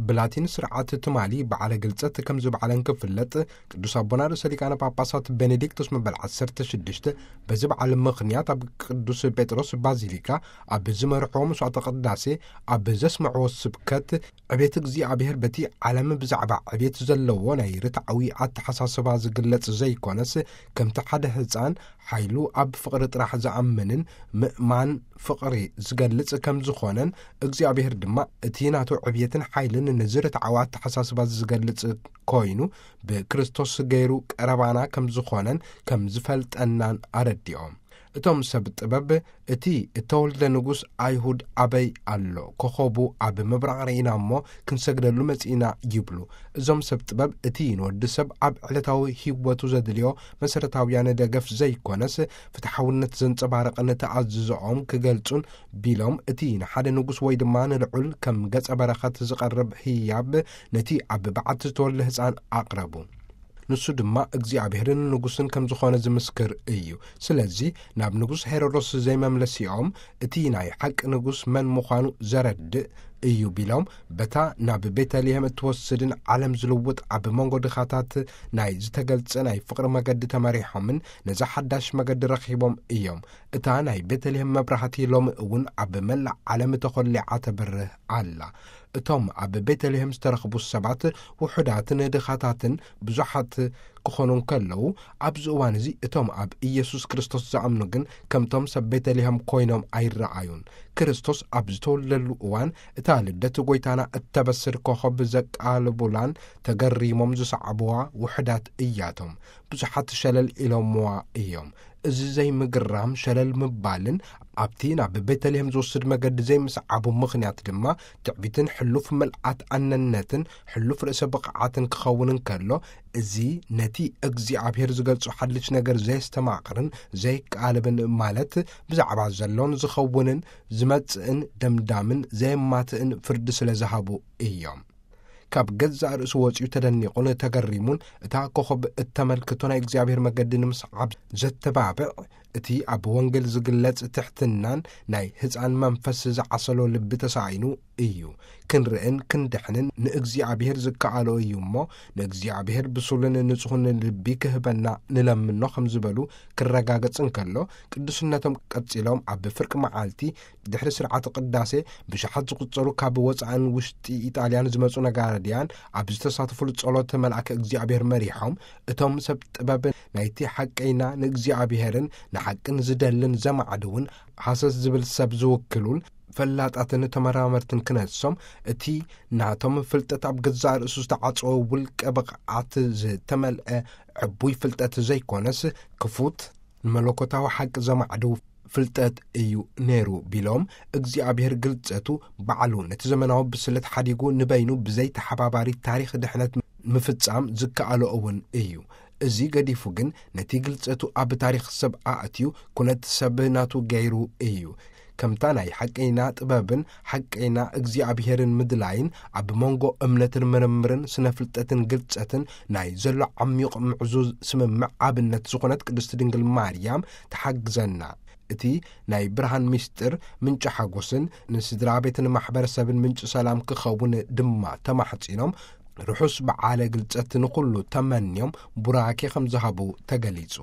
ብላቲን ስርዓት ትማሊ በዓለ ግልጸት ከም ዝበዓለን ክፍለጥ፣ ቅዱስ ኣቦና ርእሰ ሊቃነ ጳጳሳት ቤኔዲክቶስ መበል ዓሰርተ ሽዱሽተ በዚ በዓል ምኽንያት ኣብ ቅዱስ ጴጥሮስ ባዚሊካ ኣብ ዝመርሕዎ መስዋዕተ ቅዳሴ ኣብ ዘስምዕዎ ስብከት፣ ዕቤት እግዚኣብሔር በቲ ዓለም ብዛዕባ ዕቤት ዘለዎ ናይ ርትዓዊ ኣተሓሳስባ ዝግለጽ ዘይኮነስ፣ ከምቲ ሓደ ህፃን ሓይሉ ኣብ ፍቕሪ ጥራሕ ዝኣምንን ምእማን ፍቕሪ ዝገልጽ ከም ዝኾነን፣ እግዚኣብሔር ድማ እቲ ናቱ ዕብየትን ሓይልን ነዚ ርትዓዊ ኣተሓሳስባ ዝገልጽ ኮይኑ፣ ብክርስቶስ ገይሩ ቀረባና ከም ዝኾነን ከም ዝፈልጠናን ኣረዲኦም። እቶም ሰብ ጥበብ፣ እቲ እተወልደ ንጉስ ኣይሁድ ኣበይ ኣሎ? ኮኸቡ ኣብ ምብራቕ ርኢና እሞ ክንሰግደሉ መጺእና ይብሉ። እዞም ሰብ ጥበብ፣ እቲ ንወዲ ሰብ ኣብ ዕለታዊ ህይወቱ ዘድልዮ መሰረታውያን ደገፍ ዘይኮነስ፣ ፍትሓውነት ዘንጸባርቕን ተኣዝዞኦም ክገልጹን ቢሎም፣ እቲ ንሓደ ንጉስ ወይ ድማ ንልዑል ከም ገጸ በረኸት ዝቐርብ ህያብ ነቲ ኣብ በዓቲ ዝተወልደ ህፃን ኣቕረቡ። ንሱ ድማ እግዚኣብሔርን ንጉስን ከም ዝኾነ ዝምስክር እዩ። ስለዚ ናብ ንጉስ ሄሮዶስ ዘይመምለሲኦም፣ እቲ ናይ ሓቂ ንጉስ መን ምዃኑ ዘረድእ እዩ ቢሎም፣ በታ ናብ ቤተልሔም እትወስድን ዓለም ዝልውጥ ኣብ መንጎ ድኻታት ናይ ዝተገልጸ ናይ ፍቕሪ መገዲ ተመሪሖምን ነዛ ሓዳሽ መገዲ ረኺቦም እዮም። እታ ናይ ቤተልሔም መብራህቲ ሎሚ እውን ኣብ መላእ ዓለም ተኾሊዓ ተብርህ ኣላ። እቶም ኣብ ቤተልሔም ዝተረኽቡ ሰባት ውሑዳትን ድኻታትን ብዙሓት ክኾኑ እንከለዉ፣ ኣብዚ እዋን እዚ እቶም ኣብ ኢየሱስ ክርስቶስ ዝኣምኑ ግን ከምቶም ሰብ ቤተልሔም ኮይኖም ኣይረኣዩን። ክርስቶስ ኣብ ዝተወለደሉ እዋን፣ እታ ልደት ጐይታና እተበስር ኮኸብ ዘቃልቡላን ተገሪሞም ዝሰዓብዋ ውሑዳት እያቶም። ብዙሓት ሸለል ኢሎምዋ እዮም። እዚ ዘይምግራም፣ ሸለል ምባልን ኣብቲ ናብ ቤተልሔም ዝወስድ መገዲ ዘይምስዓቡ ምኽንያት ድማ፣ ትዕቢትን ሕሉፍ ምልኣት ኣነነትን ሕሉፍ ርእሰ ብቕዓትን ክኸውን እንከሎ፣ እዚ ነቲ እግዚኣብሔር ዝገልጾ ሓድሽ ነገር ዘየስተማቕርን ዘይቃለብን፣ ማለት ብዛዕባ ዘሎን ዝኸውንን ዝመጽእን ደምዳምን ዘየማትእን ፍርዲ ስለ ዝሃቡ እዮም። ካብ ገዛእ ርእሱ ወጺኡ ተደኒቑን ተገሪሙን፣ እታ ኮኸብ እተመልክቶ ናይ እግዚኣብሔር መገዲ ንምስዓብ ዘተባብዕ፣ እቲ ኣብ ወንጌል ዝግለጽ ትሕትናን ናይ ህፃን መንፈስ ዝዓሰሎ ልቢ ተሳኢኑ እዩ። ክንርእን ክንድሕንን ንእግዚኣብሔር ዝከኣሎ እዩ እሞ፣ ንእግዚኣብሔር ብሱልን ንጹሕን ልቢ ክህበና ንለምኖ ከም ዝበሉ ክረጋገጽ እንከሎ፣ ቅዱስነቶም ቀጺሎም ኣብ ፍርቂ መዓልቲ ድሕሪ ስርዓተ ቅዳሴ ብሽሓት ዝቑጸሩ ካብ ወጻእን ውሽጢ ኢጣልያን ዝመጹ ነጋድያን ኣብ ዝተሳተፉሉ ጸሎት መልኣከ እግዚኣብሔር መሪሖም፣ እቶም ሰብ ጥበብ ናይቲ ሓቀይና ንእግዚኣብሔርን ንሓቅን ዝደልን ዘማዕድውን ሃሰስ ዝብል ሰብ ዝውክሉን ፈላጣትን ተመራመርትን ክነሶም፣ እቲ ናቶም ፍልጠት ኣብ ገዛእ ርእሱ ዝተዓጸወ ውልቀ ብቕዓት ዝተመልአ ዕቡይ ፍልጠት ዘይኮነስ፣ ክፉት ንመለኮታዊ ሓቂ ዘማዕድው ፍልጠት እዩ ነይሩ ቢሎም፣ እግዚኣብሔር ግልጸቱ ባዕሉ ነቲ ዘመናዊ ብስለት ሓዲጉ ንበይኑ ብዘይ ተሓባባሪ ታሪኽ ድሕነት ምፍጻም ዝከኣሎ እውን እዩ። እዚ ገዲፉ ግን ነቲ ግልጸቱ ኣብ ታሪኽ ሰብ ኣእትዩ ኩነት ሰብ ናቱ ገይሩ እዩ። ከምታ ናይ ሓቀይና ጥበብን ሓቀይና እግዚኣብሔርን ምድላይን ኣብ መንጎ እምነትን ምርምርን ስነ ፍልጠትን ግልጸትን ናይ ዘሎ ዓሚቕ ምዕዙዝ ስምምዕ ኣብነት ዝኾነት ቅድስቲ ድንግል ማርያም ትሓግዘና። እቲ ናይ ብርሃን ምስጢር ምንጪ ሓጎስን ንስድራ ቤትን ማሕበረሰብን ምንጪ ሰላም ክኸውን ድማ ተማሕጺኖም፣ ርሑስ በዓለ ግልጸት ንኹሉ ተመንዮም ቡራኬ ከም ዝሃቡ ተገሊጹ።